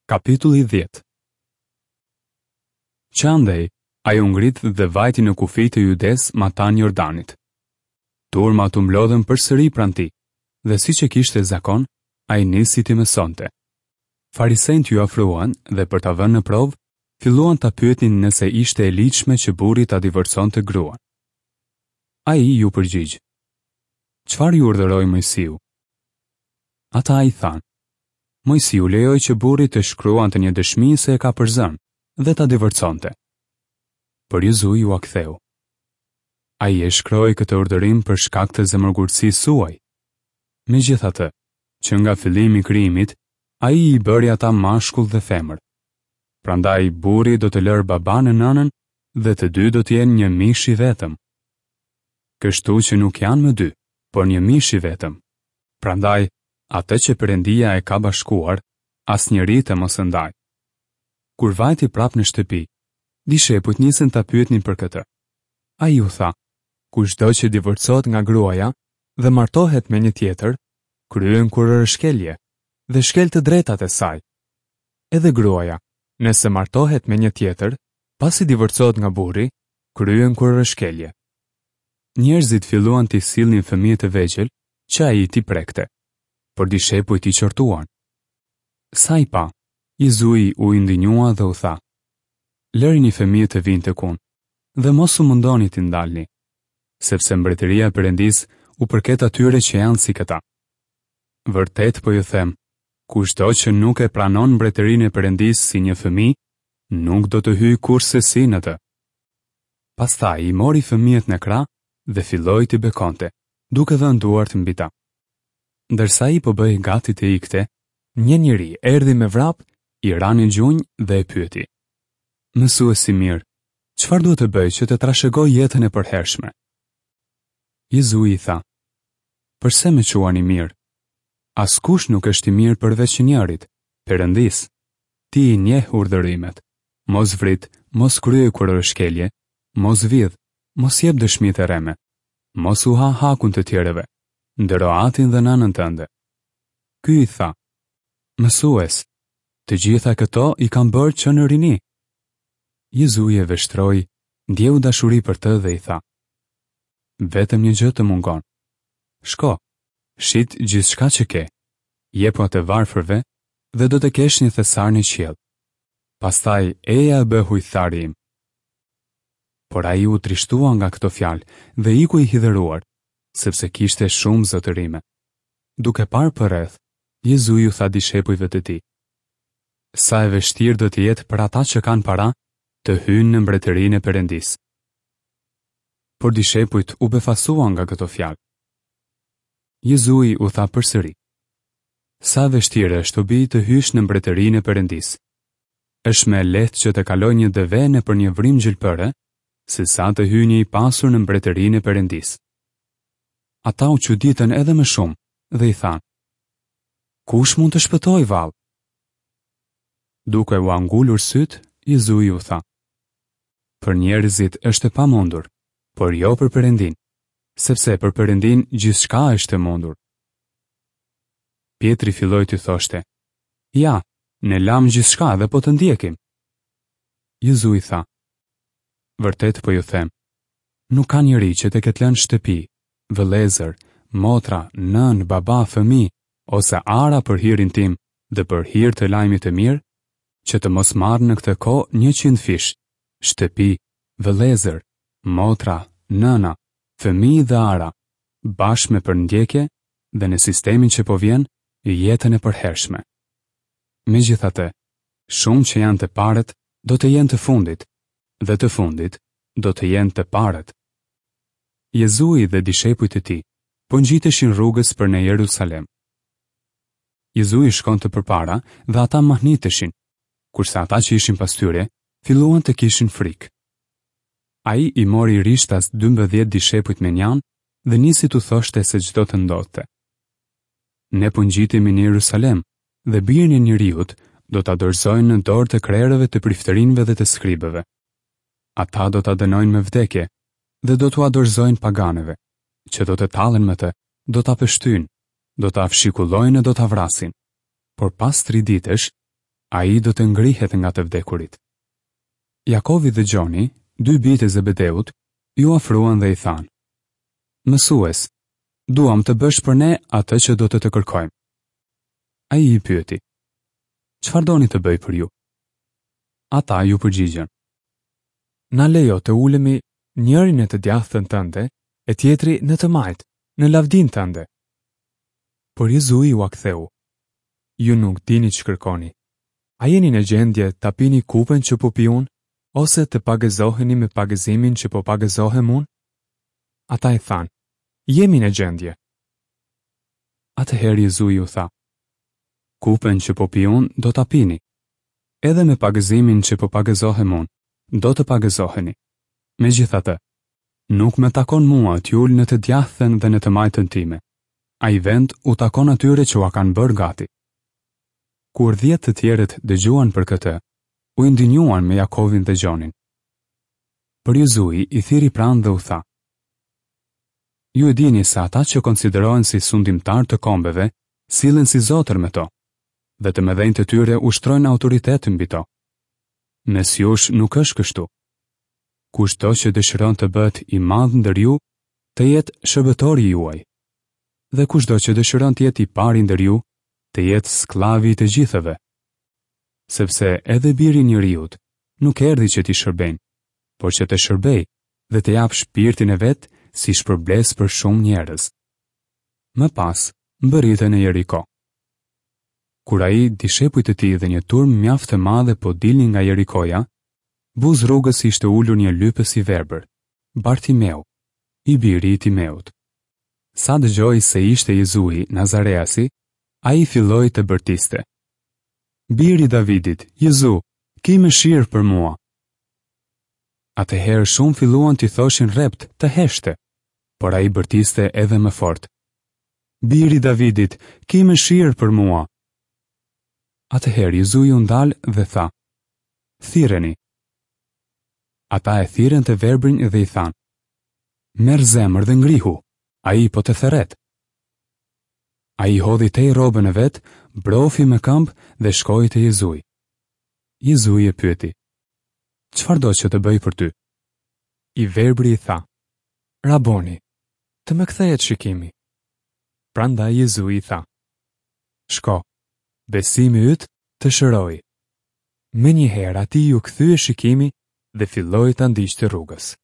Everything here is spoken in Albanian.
Kapitulli 10 Që andej, ai u ngrit dhe vajti në kufijtë e Judesë matanë Jordanit. Turmat u mblodhën përsëri pranë tij, dhe siç e kishte zakon, ai nisi t'i mësonte. Farisenjtë iu afruan dhe për ta vënë në provë, filluan ta pyetnin nëse ishte e ligjshme që burri ta divorconte gruan. Ai iu përgjigj. Çfarë ju urdhëroi Moisiu? Ata i thanë, Moisiu lejoi që burri të shkruante një dëshmi se e ka përzënë dhe ta divorconte. Por Jezui ua ktheu. Ai e shkroi këtë urdhërim për shkak të zemërgurtësisë suaj. Megjithatë, që nga fillimi i krijimit, ai i bëri ata mashkull dhe femër. Prandaj burri do të lërë babanë e nënën dhe të dy do të jenë një mish i vetëm. Kështu që nuk janë më dy, por një mish i vetëm. Prandaj, atë që Perëndia e ka bashkuar, asnjeri të mos e ndajë. Kur vajti prapë në shtëpi, dishepujt nisën ta pyetnin për këtë. Ai u tha, kushdo që divorcohet nga gruaja dhe martohet me një tjetër, kryen kurorëshkelje dhe shkel të drejtat e saj. Edhe gruaja, nëse martohet me një tjetër, pasi divorcohet nga burri, kryen kurorëshkelje. Njerëzit filluan t'i sillnin fëmijët e vegjël që ai t'i prekte, por dishepujt i qortuan. Sa i pa, Jezui u indinjua dhe u tha, Lërini fëmijët të vijnë tek unë, dhe mos u mundoni t'i ndalni, sepse mbretëria e Perëndisë u përket atyre që janë si këta. Vërtet po ju them, kushdo që nuk e pranon mbretërinë e Perëndisë si një fëmijë, nuk do të hyjë kurrsesi në të. Pastaj i mori fëmijët në krah dhe filloi t'i bekonte, duke vënë duart mbi ta. Ndërsa ai po bëhej gati të ikte, një njeri erdhi me vrap, i ra në gjunjë dhe e pyeti. Mësues i mirë, çfarë duhet të bëj që të trashëgoj jetën e përhershme? Jezui i tha, Përse më quan i mirë? Askush nuk është i mirë përveç njërit, Perëndisë. Ti i njeh urdhërimet. Mos vrit, mos kryej kurorëshkelje, mos vidh, mos jep dëshmi të rreme, mos u ha hakun të tjerëve, ndero atin dhe nënën tënde. Ky i tha, Mësues, të gjitha këto i kam bërë që në rini. Jezui e vështroi, ndjeu dashuri për të dhe i tha, Vetëm një gjë të mungon. Shko, shit gjithçka që ke, jepua të varfërve dhe do të kesh një thesar në qiell. Pastaj eja e bëhu ithtar im. Por ai u trishtua nga këto fjalë dhe iku i hidhëruar, sepse kishte shumë zotërime. Duke parë përreth, Jezui u tha dishepujve të tij, Sa e vështirë do të jetë për ata që kanë para të hyjnë në mbretërinë e Perëndisë. Por dishepujt u befasuan nga këto fjalë. Jezui u tha përsëri, Sa e vështirë është o bij të hysh në mbretërinë e Perëndisë. Është më e lehtë që të kalojë një deve nëpër një vrimë gjilpëre, sesa të hyjë një i pasur në mbretërinë e Perëndisë. Ata u çuditën edhe më shumë dhe i thanë, Kush mund të shpëtojë vallë? Duke ua ngulur sytë, Jezui u tha, Për njerëzit është e pamundur, por jo për Perëndinë, sepse për Perëndinë gjithçka është e mundur. Pjetri filloi t'i thoshte, Ja, ne lamë gjithçka dhe po të ndjekim. Jezui tha, Vërtet po ju them, nuk ka njeri që të ketë lënë shtëpi, vëllezër, motra, nënë, baba, fëmijë, ose ara për hirin tim dhe për hir të lajmit të mirë, që të mos marrë në këtë kohë njëqindfish, shtëpi, vëllezër, motra, nëna, fëmijë dhe ara, bashkë me përndjekje dhe në sistemin që po vjen, jetën e përhershme. Megjithatë, shumë që janë të parët do të jenë të fundit, dhe të fundit do të jenë të parët. Jezui dhe dishepujt e tij po ngjiteshin rrugës për në Jerusalem. Jezui shkonte përpara dhe ata mahniteshin, kurse ata që ishin pas tyre filluan të kishin frikë. Ai i mori rishtas 12 dishepujt mënjanë dhe nisi t'u thoshte se ç'do të ndodhte. Ne po ngjitemi në Jerusalem dhe birin e njeriut do ta dorëzojnë në dorë të krerëve të priftërinjve dhe të skribëve. Ata do ta dënojnë me vdekje dhe do t'ua dorëzojnë paganëve, që do të tallen me të, do ta pështyjnë, do ta fshikullojnë e do ta vrasin. Por pas tri ditësh, Ai do të ngrihet nga të vdekurit. Jakovi dhe Gjoni, dy bijtë e Zebedeut, iu afruan dhe i thanë, Mësues, duam të bësh për ne atë që do të të kërkojmë. Ai i pyeti, Çfarë doni të bëj për ju? Ata iu përgjigjën, Na lejo të ulemi njëri në të djathtën tënde e tjetri në të majtë, në lavdinë tënde. Por Jezui ua ktheu, Ju nuk dini ç'kërkoni. A jeni në gjendje ta pini kupën që po pi unë, ose të pagëzoheni me pagëzimin që po pagëzohem unë? Ata i thanë, Jemi në gjendje. Atëherë Jezui u tha, Kupën që po pi unë do ta pini. Edhe me pagëzimin që po pagëzohem unë, do të pagëzoheni. Megjithatë, nuk më takon mua t'ju ul në të djathtën dhe në të majtën time. Ai vend u takon atyre që ua kanë bërë gati. Kur dhjetë të tjerët dëgjuan për këtë, u indinjuan me Jakovin dhe Gjonin. Por Jezui i thirri pranë dhe u tha, Ju e dini se ata që konsiderohen si sundimtarë të kombeve, sillen si zotër me to, dhe të mëdhenjtë e tyre ushtrojnë autoritet mbi to. Mes jush nuk është kështu. Kushdo që dëshiron të bëhet i madh ndër ju, të jetë shërbëtori juaj. Dhe kushdo që dëshiron të jetë i pari ndër ju, të jetë skllavi i të gjithëve. Sepse edhe biri i njeriut nuk erdhi që t'i shërbejnë, por që të shërbejë dhe të japë shpirtin e vet si shpërblesë për shumë njerëz. Më pas, mbërritën në Jeriko. Kur ai, dishepujt e tij dhe një turmë mjaft të madhe po dilnin nga Jerikoja, buzë rrugës ishte ulur një lypës i verbër, Bartimeu, i biri i Timeut. Sa dëgjoi se ishte Jezui, Nazareasi, ai filloi të bërtiste. Bir i Davidit, Jezu, ki mëshirë për mua! Atëherë shumë filluan t'i thoshin rreptë të heshtte, por ai bërtiste edhe më fort. Bir i Davidit, ki mëshirë për mua! Atëherë Jezui u ndal dhe tha, Thirreni. Ata e thirrën të verbrin dhe i thanë, Merr zemër dhe ngrihu, ai po të thërret. Ai hodhi tej rrobën e vet, brofi me këmbë dhe shkoi te Jezui. Jezui e pyeti, Çfarë do që të bëj për ty? I verbri i tha, Raboni, të më kthehet shikimi. Prandaj Jezui i tha, Shko, besimi yt të shëroi. Menjëherë atij iu kthye shikimi dhe filloi ta ndiqte rrugës.